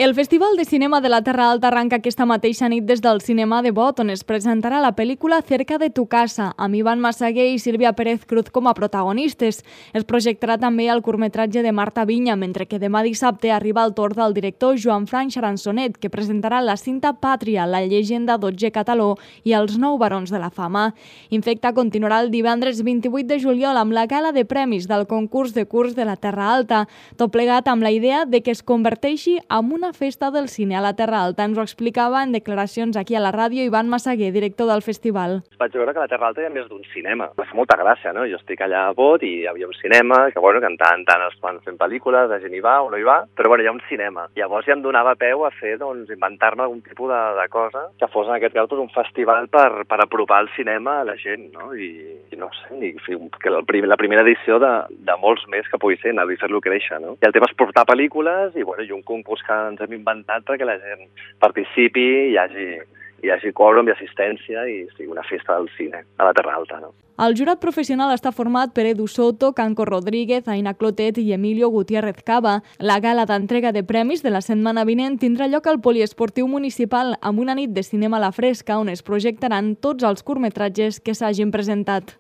El Festival de Cinema de la Terra Alta arranca aquesta mateixa nit des del Cinema de Bot, on es presentarà la pel·lícula Cerca de tu casa, amb Iván Massaguer i Sílvia Pérez Cruz com a protagonistes. Es projectarà també el curtmetratge de Marta Vinya, mentre que demà dissabte arriba el torn del director Joan Frank Charançonet, que presentarà la cinta Pàtria, la llegenda d'Otger Cataló i els 9 barons de la fama. Infecta continuarà el divendres 28 de juliol amb la gala de premis del concurs de curs de la Terra Alta, tot plegat amb la idea de que es converteixi en una festa del cine a la Terra Alta. Ens ho explicava en declaracions aquí a la ràdio Iván Massaguer, director del festival. Vaig veure que a la Terra Alta hi ha més d'un cinema. Em fa molta gràcia, no? Jo estic allà a Bot i hi havia un cinema, que bueno, que en tant es van fent pel·lícules, la gent hi va o no hi va, però bueno, hi ha un cinema. Llavors ja em donava peu a fer, inventar-me algun tipus de cosa que fos en aquest cas un festival per apropar el cinema a la gent, no? I no sé, que la primera edició de molts més que pugui ser, anar a fer-lo créixer, no? I el tema és portar pel·lícules i un concurs que ens hem inventat perquè la gent participi, hi hagi quòrum i assistència i sigui una festa del cine a la Terra Alta, no? El jurat professional està format per Edu Soto, Canco Rodríguez, Aina Clotet i Emilio Gutiérrez Cava. La gala d'entrega de premis de la setmana vinent tindrà lloc al Poliesportiu Municipal amb una nit de cinema a la fresca on es projectaran tots els curtmetratges que s'hagin presentat.